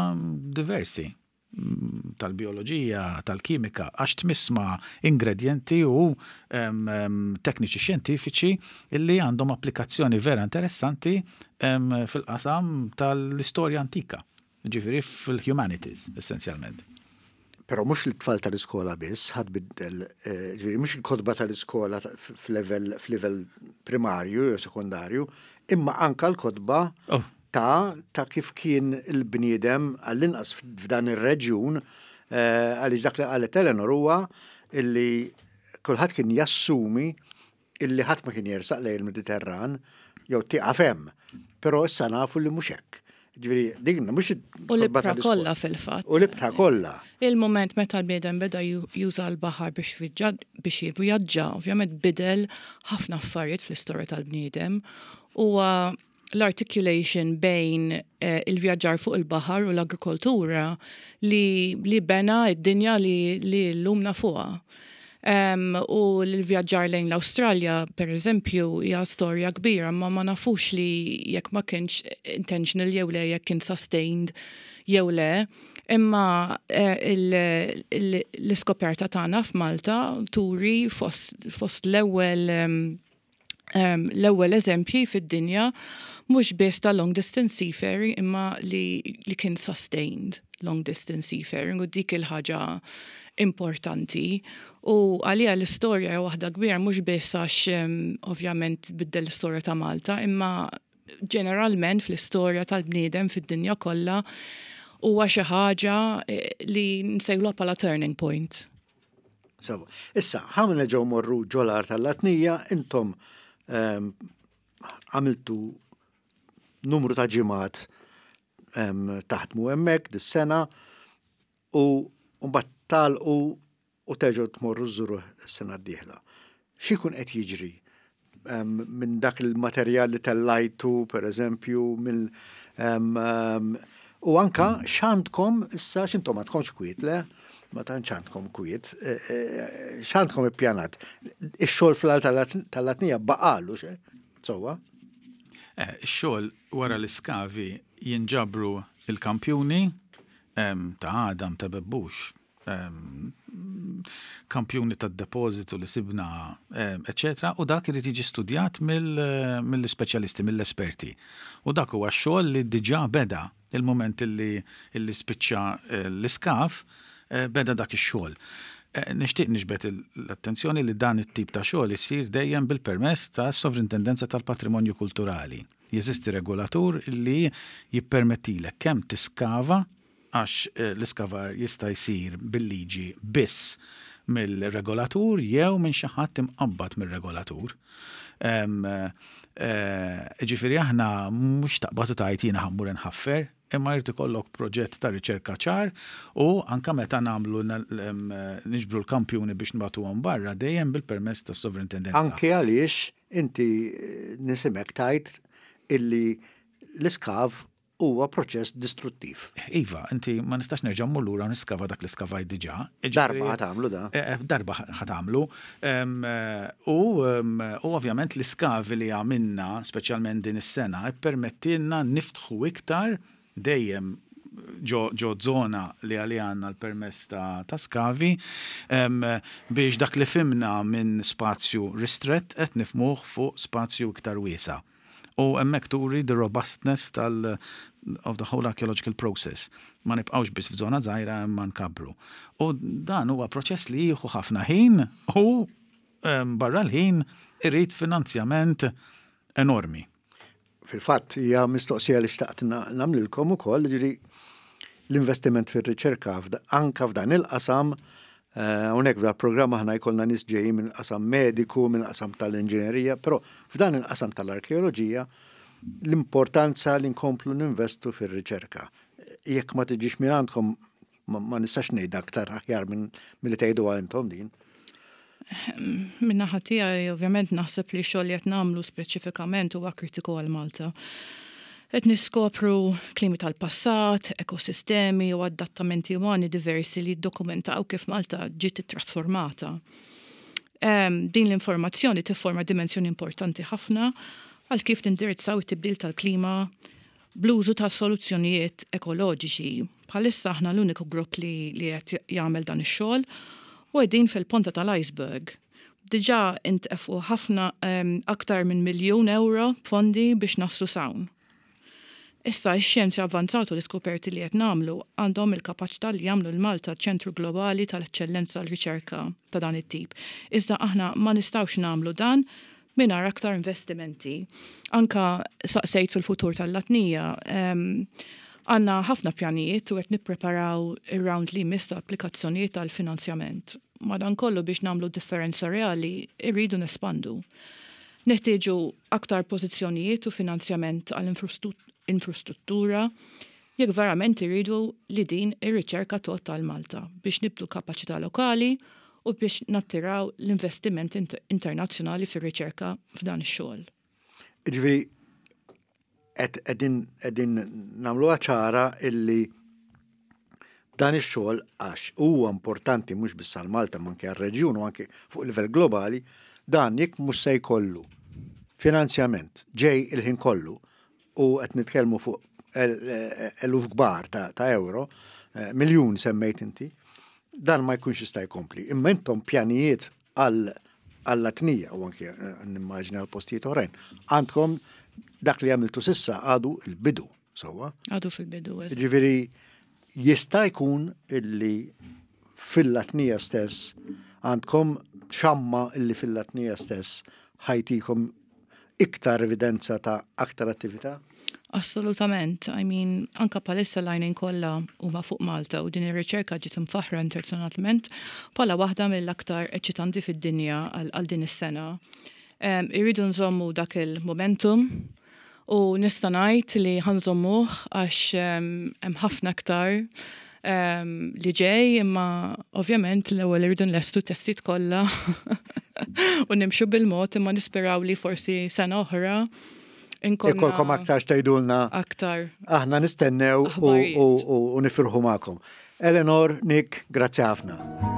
diversi tal-bioloġija, tal-kimika, għax tmiss ma' ingredjenti u tekniċi xjentifiċi illi għandhom applikazzjoni vera interessanti fil-qasam tal-istorja antika, ġifieri fil-humanities essenzjalment. Però mhux lit-tfal tal-iskola biss ħa tbiddel, ġifieri mhux il-kotba tal-iskola f'livell primarju jew sekondarju, imma anka l-kotba oh. ta' ta' kif kien il-bniedem għall-inqas f'dan ir-reġjun eh, għaliex dak li qalet Eleanor huwa illi kulħadd kien jassumi illi ħadd ma kien jersaq lejn il-Mediterran jew tieqaf hemm. Però issa nafu li mhux hekk. Ġifieri din mhux U l-ibħra kollha fil-fatt. U l-ibħra kollha. Il-mument meta l-bniedem beda juża l-baħar biex biex jivvjaġġa, ovvjament bidel ħafna affarijiet fl-istorja tal-bniedem. Huwa l-articulation bejn eh, il-vjaġġar fuq il-baħar u l-agrikoltura li, li bena id-dinja li, li l-lum nafuha. Um, u l-vjaġġar lejn l-Awstralja, per eżempju, hija storja kbira, ma ma nafux li jekk ma kienx intentional jew le, jekk kien sustained jew le. Imma eh, l-iskoperta tagħna f'Malta turi fost, fost l-ewwel um, l-ewwel eżempji fid-dinja mhux biss ta' long distance seafaring imma li, li kien sustained long distance seafaring u dik il-ħaġa importanti u għalija l-istorja hija waħda kbira mhux biss għax ovvjament biddel l-istorja ta' Malta imma ġeneralment fl-istorja tal-bniedem fid-dinja kollha huwa xi ħaġa eh, li nsejħulha bħala turning point. Sewa. Issa, ħa nerġgħu morru ġol-Għar tal-Latnija, intom ehm, għamiltu numru ta' ġimgħat ehm, taħdmu hemmhekk dis-sena u mbagħad tagħlqu u terġgħu tmorru żżuruh is-sena d-dieħla. X'ikun qed jiġri ehm, minn dak il-materjal li tellajtu, per eżempju, mill u anka x'għandkom issa x'intom għandkomx kwiet, le? Ma tantx għandkom kwiet, e, e, x'għandkom ippjanat? Ix-xogħol fl-Għar tal-Latnija baqalu xe? Sewwa? Eh, ix-xogħol wara l-iskavi jinġabru il-kampjuni ta' għadam ta' bebbux, kampjuni tad-depożitu li sibna, eċċetera, u dak irid jiġi studjat mill-ispeċjalisti, mill-esperti. U dak huwa x-xogħol li diġà beda il-mument li spiċċa l-iskav, beda dak ix-xogħol. Nixtieq niġbed l-attenzjoni li dan it-tip ta' xogħol isir dejjem bil-permess tas-Sovrintendenza tal-Patrimonju Kulturali. Jeżisti regolatur li jippermettilek kemm tiskava għax l-iskavar jista' jsir bil-liġi biss mill-regolatur jew minn xi ħadd imqabbad mir-regolatur. Ġifieri aħna mhux taqbad u tgħid jiena ħa mmur inħaffer, imma jrid ikollok proġett ta' riċerka ċar u anke meta nagħmlu niġbru l-kampjuni biex nibagħtuhom barra dejjem bil-permess tas-Sovrintendenza. Anke għaliex inti nisimek tgħid illi l-iskav huwa proċess distruttiv. Iva, inti ma nistax nerġa' mmur lura u niskava dak li skavajt diġà. Darba ħa tagħmlu da. Eh, eh, darba ħa tagħmlu. U ovvjament l-iskavi li għamilna, speċjalment din is-sena, ippermettilna niftħu iktar dejjem ġo zona li għalija għandna l-permess ta' skavi biex dak li fhimna minn spazju ristrett qed nifhmuh fuq spazju iktar wiesa'. U hemmhekk turi the robustness tal of the whole archaeological process. Ma nibqgħux biss f'żona żgħira imma nkabbru. U dan huwa proċess li jieħu ħafna ħin u barra l-ħin irid finanzjament enormi. Fil-fatt hija mistoqsija li xtaqt nagħmlilkom ukoll, jiġifieri l-investiment fir-riċerka anka f'dan il-qasam eh, hawnhekk f'dan programm aħna jkollna nies ġejjin minn qasam mediku, minn qasam tal-inġinerija, però f'dan il-qasam tal-arkeoloġija l-importanza li nkomplu ninvestu fir-riċerka. Jekk ma tiġix minn għandkom ma nistax ngħid aktar aħjar minn milli tgħiduha intom din. Min-naħa tiegħi ovvjament naħseb li x-xogħol li qed nagħmlu speċifikament huwa kritiku għal Malta. Qed niskopru klimi tal-passat, ekosistemi u adattamenti umani diversi li jiddokumentaw kif Malta ġiet ittrasformata. Din l-informazzjoni tifforma dimensjoni importanti ħafna għal kif nindirizzaw it-tibdil tal-klima bl-użu ta' soluzzjonijiet ekoloġiċi. Bħalissa aħna l-uniku grupp li li qed jagħmel dan ix-xogħol u qegħdin fil-ponta tal-iceberg. Diġà intefqu ħafna aktar minn miljun ewro b'fondi biex naslu s'hawn. Issa x-xjenza avvanzata u l-iskoperti li qed nagħmlu għandhom il-kapaċità li jagħmlu lil Malta ċentru globali tal-eċċellenza għal riċerka ta' dan it-tip. Iżda aħna ma nistgħux nagħmlu dan mingħajr aktar investimenti. Anka saqsejt fil-futur tal-Latnija, għandna ħafna pjanijiet u qed nippreparaw ir-round li jmiss ta' applikazzjonijiet għal finanzjament. Madankollu biex nagħmlu differenza reali irridu nespandu. Neħtieġu aktar pożizzjonijiet u finanzjament għal infrastruttura jekk verament irridu li din ir-riċerka tgħodd għal Malta biex nibdu kapaċità lokali u biex nattiraw l-investiment internazzjonali fir-riċerka f'dan ix-xogħol. Jiġifieri qegħdin qegħdin nagħmluha ċara illi dan ix-xogħol għax huwa importanti mhux biss għal Malta ma anke għar-reġjun u anke fuq livell globali, dan jekk mhux se jkollu finanzjament ġej il-ħin kollu u qed nitkellmu fuq eluf kbar ta' euro, eh, miljun semmejt inti, dan ma jkunx jista' jkompli. Imma intom pjanijiet għal għall-Atnija u anke eh, nimmaġina għal postijiet oħrajn. Għandkom dak li għamiltu sissa għadu il-bidu, sewwa. Għadu fil-bidu. Ġifieri jista' jkun illi fil-Latnija stess għandkom xamma illi fil-Latnija stess ħajtikom iktar evidenza ta' aktar attività? Assolutament, I mean, anka palissa l-għajnejn kollha huma fuq Malta u din ir-riċerka ġiet imfaħra internazzjonalment bħala waħda mill-aktar eċitanti fid-dinja għal din is-sena. Irridu nżommu dak il-momentum u nista' ngħid li ħa nżommuh għax hemm ħafna aktar li ġej imma ovvjament l-ewwel irridu nlestu testijiet kollha u nimxu bil-mod imma nisperaw li forsi sena oħra Ikolkom aktar x'tgħidulna. Aktar. Aħna nistennew u nifirħu magħkom. Eleanor, Nick, grazzi ħafna.